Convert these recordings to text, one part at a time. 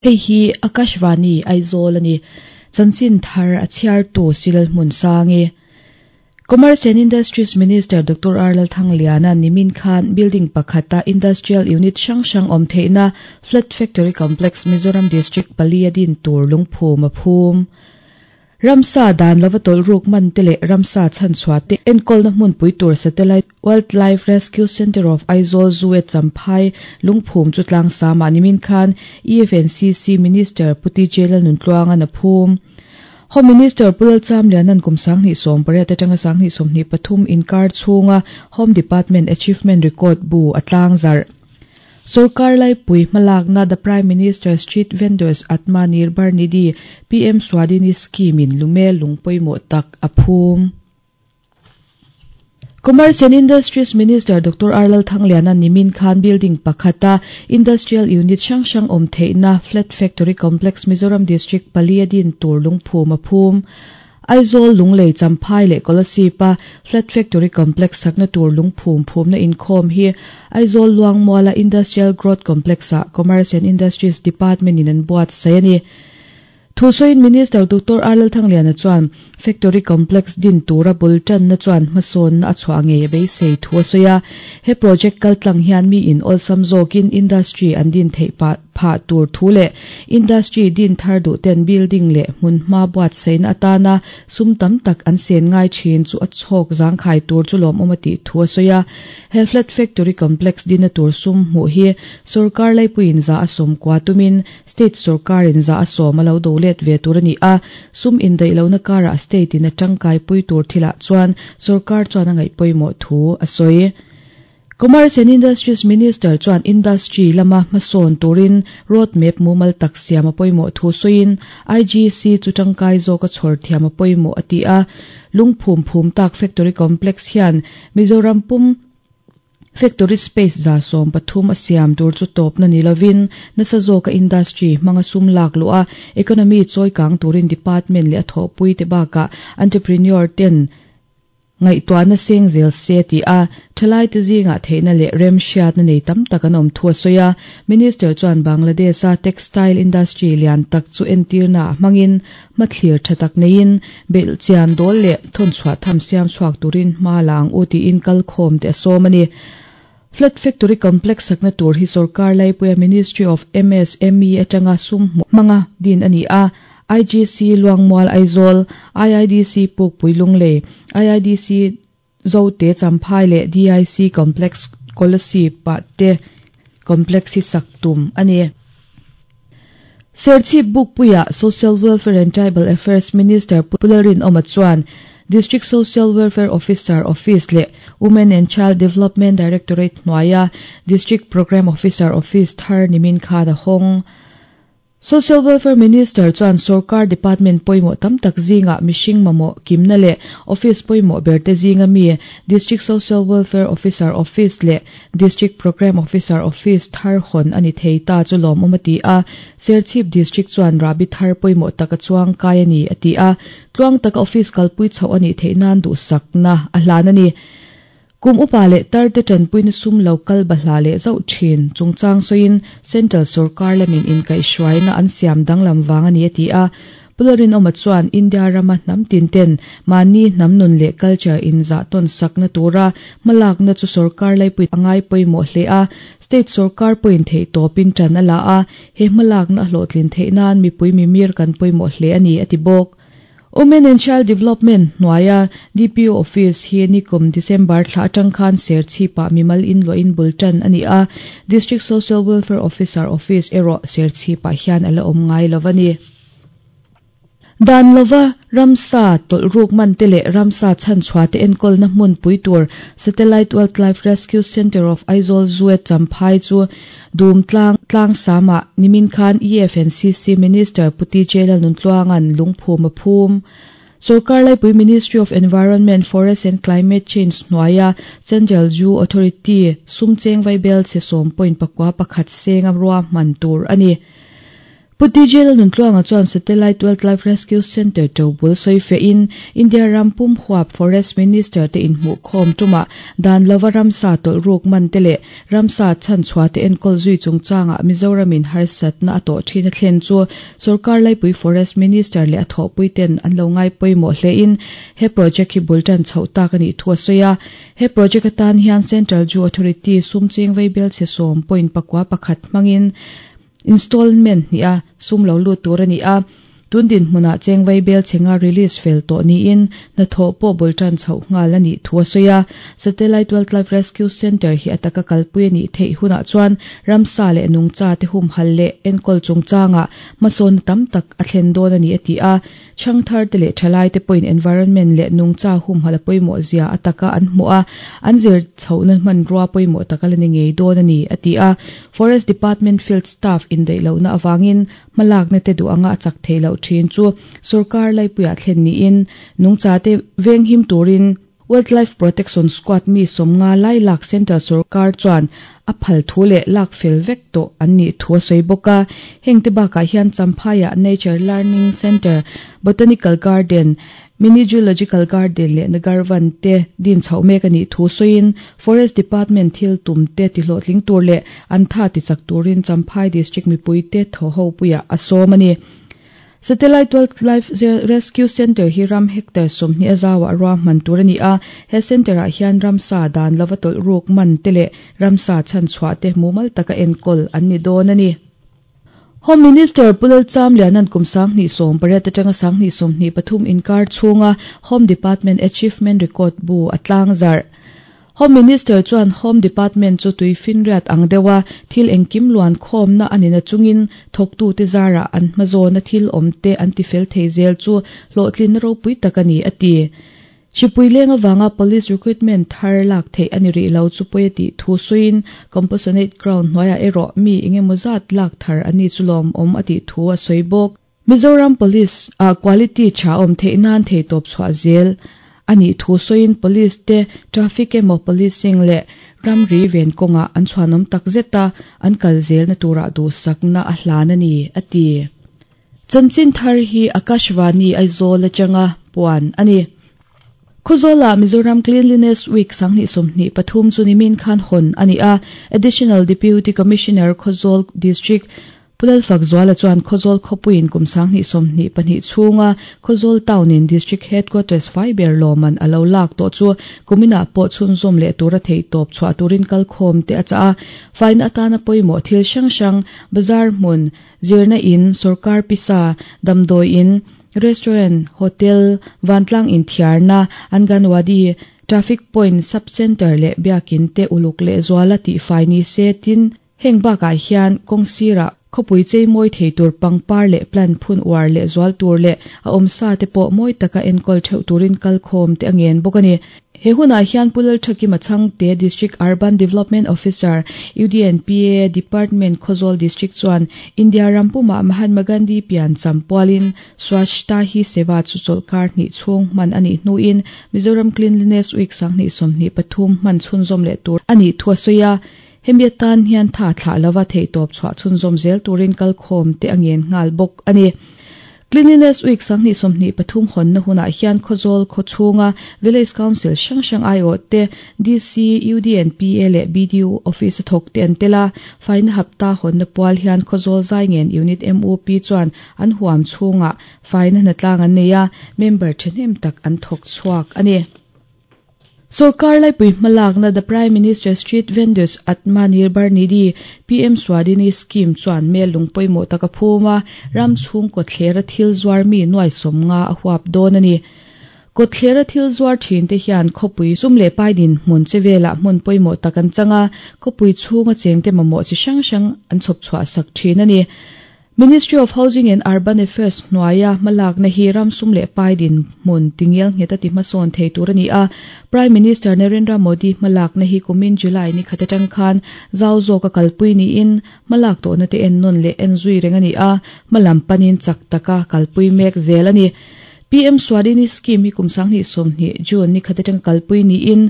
Hei hi Akashvani Aizawl a ni. Chanchin thar a chhiartu Silal Hmunsangi. Commerce and Industries Minister Doctor R Lalthangliana nimin khan building pakhata industrial unit hrang hrang awm theihna Flat Factory Complex Mizoram District pali a din tur lungphum a phum. Ramsa dan lova tawlh ruk man te leh ramsa chhanchhuah te enkawlna hmunpui tur Satellite Wildlife Rescue Centre of Aizawl Zoo e Champhai lungphum chu tlangsam ah nimin khan EFNCC Minister Pu TJ Lalnuntluanga'n a phum. Home Minister Pu Lalchamliana'n kum 2018 atanga 2023 inkar chhunga Home Department Achievement Record bu a tlangzarh. Sorkar laipui hmalakna The Prime Minister Street Vendors Atma Nirbhar Nidhi, PM Swadini Scheme in lume lung pawimawh tak a phum. Commerce and Industries Minister Doctor R Lalthangliana nimin khan building pakhata industrial unit hrang hrang awm theihna Flat Factory Complex Mizoram District pali a din tur lungphum a phum. Aizawl, Lunglei, Champhai leh Kolasib-a Flat Factory Complex sakna tur lungphum phumna inkhawm hi Aizawl Luangmuala Industrial Growth Complex-ah Commerce and Industries Department-in an buatsaih a ni. Thusawiin Minister Doctor R Lalthangliana chuan Factory Complex din tura bul tanna chuan hmasawnna a chhuah ngei a beisei thu a sawi a. He project kaltlang hian miin awlsam zawkin industry an din theih pah phah tur thu leh industry din thar duh ten building leh hmunhma buatsaihna atana sum tam tak an sen ngai thin chu a chhawk zangkhai tur chu lawmawm a tih thu a sawi a. He flat factory complex dina tur sum hmuh hi sorkar laipuiin za a sawm kua tumin state sorkarin za a sawm a lo do let ve tur a ni a, sum indaih lohna karah state in a tangkaipui tur thilah chuan sorkar chuan a ngaih pawimawh thu a sawi. Commerce and Industries Minister chuan industry lama hmasawn turin road map mumal tak siam a pawimawh thu sawiin IGC chu tangkai zawka chhawr thiam a pawimawh a ti a. Lungphum phum tak factory complex hian Mizoram pum factory space 130 a siam tur chu tawpna ni lovin nasa zawka industry hmanga sum lak luh a economy chawi kang turin department leh a thawhpui te bakah entrepreneur ten Ngaihtuahna seng zel se ti a, thalaite zingah theihna leh remhriatna nei tam tak an awm thu a sawi a. Minister chuan Bangladesh-a textile industry lian tak chu entirna ah hmangin hmathlir tha tak neiin belhchian dawl leh thawnchhuah tham siam chhuak turin hma la ang u tiin kalkhawm te a sawm a ni. Flat Factory Complex sakna tur hi sorkar laipuia Ministry of MSME atanga sum hmuh hmanga din a ni a, IGC Luangmual Aizawl, IIDC Pukpui Lunglei, IIDC Zote Champhai leh DIC Complex Kolasib ah te complex hi sak tum a ni. Serchhip Bukpuia Social Welfare and Tribal Affairs Minister Pu Lalrinawma chuan District Social Welfare Officer Office leh Women and Child Development Directorate hnuaia District Programme Officer Office thar nimin khan a hawng. Social Welfare Minister chuan sorkar department pawimawh tam tak zingah mihring mamawh kimna leh office pawimawh berte zinga mi District Social Welfare Officer Office leh District Programme Officer Office thar hawn a ni thei ta chu lawmawm a ti a, Serchhip District chuan rahbi thar pawimawh tak a chuang kai a ni a ti a, tluang taka office kalpui chhoh a nih theih nan duhsakna a hlan a ni. Kum upa leh tarte tanpuina sum lo kal bahla leh zauh thin chungchang sawiin Central sorkar lamin inkaihhruaina an siam danglam vang a ni a ti a. Pu Lalrinawma chuan India rama hnam tin ten mahni hnam nun leh culture inzah tawn sakna tura hmalakna chu sorkar laipui a ngai pawimawh hle a, state sorkar pawhin theihtawpin tan a la a, he hmalakna a hlawhtlin theih nan mipui mimir kan pawimawh hle a ni a ti bawk. Women and Child Development hnuaia DPO Office hi nikum December thla atang khan Serchhipah mimal inluahin bul tan a ni a, District Social Welfare Officer Office erawh Serchhipah hian a la awm ngai lo a ni. Dan lova ramsa tawlh ruk man te leh ramsa chhanchhuah te enkawlna hmun pui tur Satellite Wildlife Rescue Centre of Aizawl Zoo Champhai chu Dum tlang tlangsam ah nimin khan EFNCC Minister Pu TJ Lalnuntluanga'n lungphum a phum. Sorkar laipui Ministry of Environment, Forest and Climate Change hnuaia Central Zoo Authority sum cheng vaibel chhe 10.41 senga ruahman tur a ni. Pu DJ Lalnuntluanga chuan Satellite Wildlife Rescue Centre tobul sawifiahin India ram pum huap Forest Minister te inhmuhkhawm tumah dan lova ramsa tawlh ruk man te leh ramsa chhanchhuah te enkawl zui chungchangah Mizoramin harsatna a tawh thin a thlen chu sorkar laipui Forest Minister leh a thawhpui ten an lo ngai pawimawh hlein he project hi bul tan chhoh tak a nih thu a sawi a. He project atan hian Central Zoo Authority sum cheng vaibelchhe 10.41 hmangin Installment hnih a sum lo lut tur a ni a, tun dinhmunah cheng vaibel chhenga release fel tawh niin hnathawh pawh bul tan chhoh nghal a nih thu a sawi a. Satellite Wildlife Rescue Centre hi a taka kalpui a nih theih hunah chuan ramsa leh nungcha te humhal leh enkawl chungchangah hmasawnna tam tak a thlen dawn a ni a ti a. Chhangthar te leh thalai te pawhin environment leh nungcha humhalh a pawimawh zia a taka an hmuh a, an zir chhohna hmanrua pawimawh tak a la ni ngei dawn a ni, a ti a. Forest Department field staff indaih lohna avangin hmalakna te duh anga a chak theih loh thin chu sorkar laipuiah thlen niin nungcha te venghim turin Wildlife Protection Squad mi 50 lai lak Central sorkar chuan a phal thu leh lak fel vek tawh an nih thu a sawi bawk a. Heng te bakah hian Champhaiah Nature Learning Centre, Botanical Garden, Mini Zoological Garden leh Nagarvan te din chhoh mek a nih thu sawiin Forest Department thil tum te tihlawhtling tur leh an tha tichak turin Champhai District mipuite thaw ho puiah a sawm a ni. Satellite Wildlife Rescue Centre hi ram hectare 20 a zauah ruahman tur a ni a, he centre-ah hian ramsa dan lova tawlh ruk man te leh ramsa chhanchhuah te mumal taka enkawl an ni dawn a ni. Home Minister Pu Lalchamliana'n kum 2018 atanga 2023 inkar chhunga Home Department Achievement Record bu a tlangzarh. Home Minister chuan Home Department chu tui finriat ang deuha thil engkim luan khawmna a ni nachungin thawktute zarah an hmazawna thil awmte an tifel thei zel chu hlawhtlinna ropui tak a ni, a ti. Hripui leng avanga Police recruitment thar lak theih a ni rih lo chu pawi a tih thu sawiin Compassionate Ground hnuaiah erawh mi engemaw zat lak thar a ni chu lawmawm a tih thu a sawi bawk. Mizoram Police ah quality tha awm theih nan theitawp chhuah zel a nih thu sawiin Police te traffic emaw policing leh ramri ven kawngah an chhuanawm tak zet a, an kal zelna turah duhsakna a hlan a ni, a ti. Chanchin thar hi Akashvani Aizawl atanga puan a ni. Khawzawlah Mizoram Cleanliness Week 2023 chu nimin khan hawn a ni a, Additional Deputy Commissioner Khawzawl District Pu Lalfakzuala chuan Khawzawl khawpuiin kum 2022 chhunga Khawzawl Town-in District Headquarters fai ber lawmman a lo lak tawh chu kuminah pawh chhunzawm leh tura theihtawp chhuah turin kalkhawm te a chah a. Faina atana pawimawh thil hrang hrang, bazar hmun, zirna in, sorkar pisa, damdawi in, restaurant, hotel, vantlang inthiarna, anganwadi, traffic point, sub-centre leh biakin te uluk lehzuala tihfai ni se tin, Heng bakah hian kawng sirah khawpui chei mawi thei tur pangpar leh plant phun uar leh zual tur leh a awmsa te pawh mawi taka enkawl theuh turin kalkhawm te a ngen bawk a ni. He hunah hian Pu Lalthakima Chhangte District Urban Development Officer, UDNPA Department Khawzawl District chuan India ram pumah Mahatma Gandhi pian cham pualin Swachhta Hi Seva chu chawlhkar hnih chhung hman a nih hnuin Mizoram Cleanliness Week 2023 hman chhunzawm leh tur a nih thu a sawi a. Hemi atan hian tha thlah lova theihtawp chhuah chhunzawm zel turin kalkhawm te a ngen nghal bawk a ni. Cleanliness Week 2023 hawnna hunah hian Khawzawl khaw chhunga Village Council hrang hrang aiawh te, DC, UDNPA leh BDU Office a thawk te an tel a. Faina hapta hawnna pual hian Khawzawl Zaingen Unit MUP chuan an huam chhungah faina hnatlang an nei a, member thahnem tak an thawk chhuak a ni. Sorkar laipui hmalakna The Prime Minister Street Vendors Atmanirbhar Nidhi, PM Swadini Scheme, chuan mel lung pawimawh tak a phum a, ram chhung kawthlera thil zuar mi nuai 50 a huap dawn a ni. Kawthlera thil zuar thin te hian khawpui sum leh pai dinhmun che velah hmun pawimawh tak an chang a, khawpui chhunga chengte mamawh chi hrang hrang an chhawp chhuah sak thin a ni. Ministry of Housing and Urban Affairs hnuaia hmalakna hi ram sum leh pai dinhmun tingial nghet a ti hmasawn thei tur a ni a. Prime Minister Narendra Modi hmalakna hi kumin July ni khat atang khan zau zawka kalpui niin hmalak tawhna te en nawn leh en zui reng a ni a, hmalam panin chak taka kalpui mek zel a ni. PM Swadini Scheme hi kum 2020 June ni khat atanga kalpui niin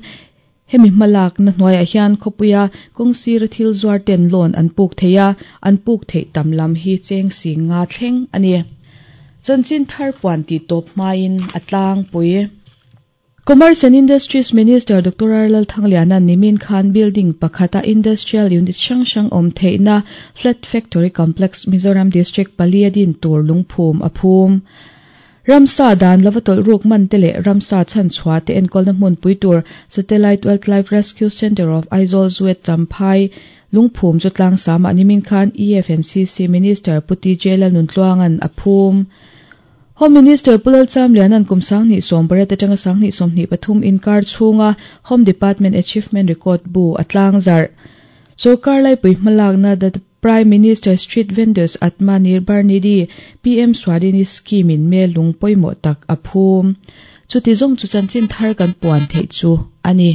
Hemi hmalakna hnuaiah hian khawpuia kawng sira thil zuar ten loan an puk thei a, an puk theih tam lam hi cheng 50 thleng a ni. Chanchin thar puan tih tawp hmain a tlangpui. Commerce and Industries Minister Doctor R Lalthangliana'n nimin khan building pakhata industrial unit hrang hrang awm theihna Flat Factory Complex Mizoram District palia din tur lungphum a phum. Ramsa dan lova tawlh ruk man te leh ramsa chhanchhuah te enkawlna hmunpui tur Satellite Wildlife Rescue Centre of Aizawl Zuet Champhai lungphum chu tlangsam ah nimin khan EFNCC Minister Pu TJ Lalnuntluanga'n a phum. Home Minister Pu Lalchamliana'n kum 2018 atanga 2023 inkar chhunga Home Department Achievement Record bu a tlangzarh. Sorkar laipui hmalakna The Prime Minister Street Vendors Atma Nirbhar Nidhi PM Swadini Scheme in me lung pawimawh tak a phum. Chuti zawng chu chanchin thar kan puan theih chu a ni.